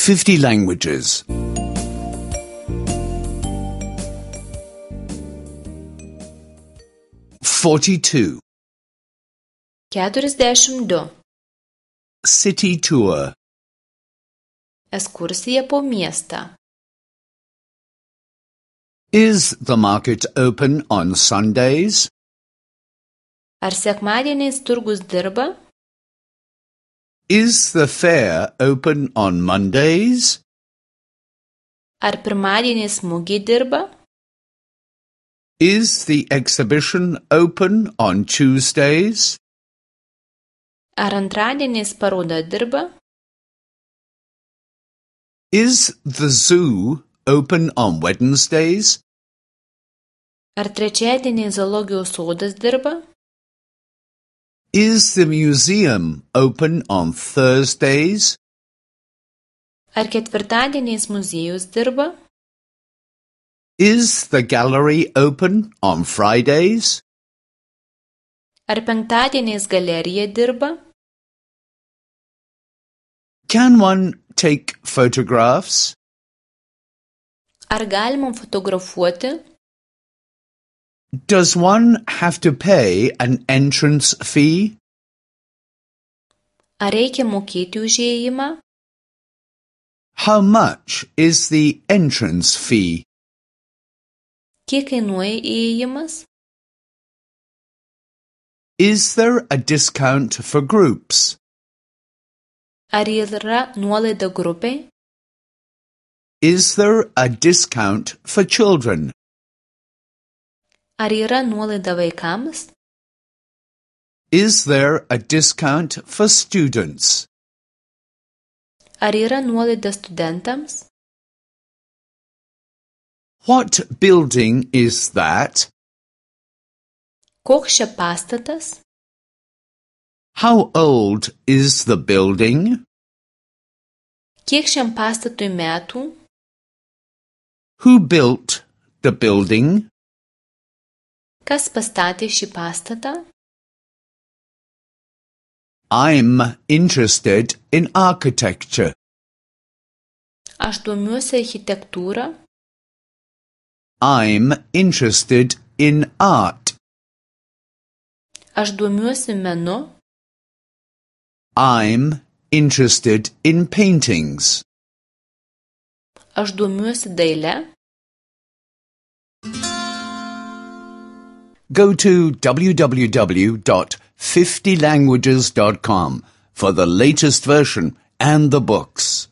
50 languages. 42. 42. City tour. Ekskursija po miestą. Is the market open on Sundays? Ar sekmadieniais turgus dirba? Is the fair open on Mondays? Ar pirmadieniais mugė dirba? Is the exhibition open on Tuesdays? Ar antradieniais paroda dirba? Is the zoo open on Wednesdays? Ar trečiadieniais zoologijos sodas dirba? Is the museum open on Thursdays? Ar ketvirtadieniais muziejus dirba? Is the gallery open on Fridays? Ar penktadieniais galerija dirba? Can one take photographs? Ar galima fotografuoti? Does one have to pay an entrance fee? Ar reikia mokėti už įėjimą? How much is the entrance fee? Kiek kainuoja įėjimas? Is there a discount for groups? Ar yra nuolaida grupiai? Is there a discount for children? Ar yra nuolaida vaikams? Is there a discount for students? Ar yra nuolaida studentams? What building is that? Koks čia pastatas? How old is the building? Kiek šiam pastatui metų? Who built the building? Kas pastatė šį pastatą? I'm interested in architecture. Aš domiuosi architektūrą. I'm interested in art. Aš domiuosi menu. I'm interested in paintings. Aš domiuosi daile. Go to www.50languages.com for the latest version and the books.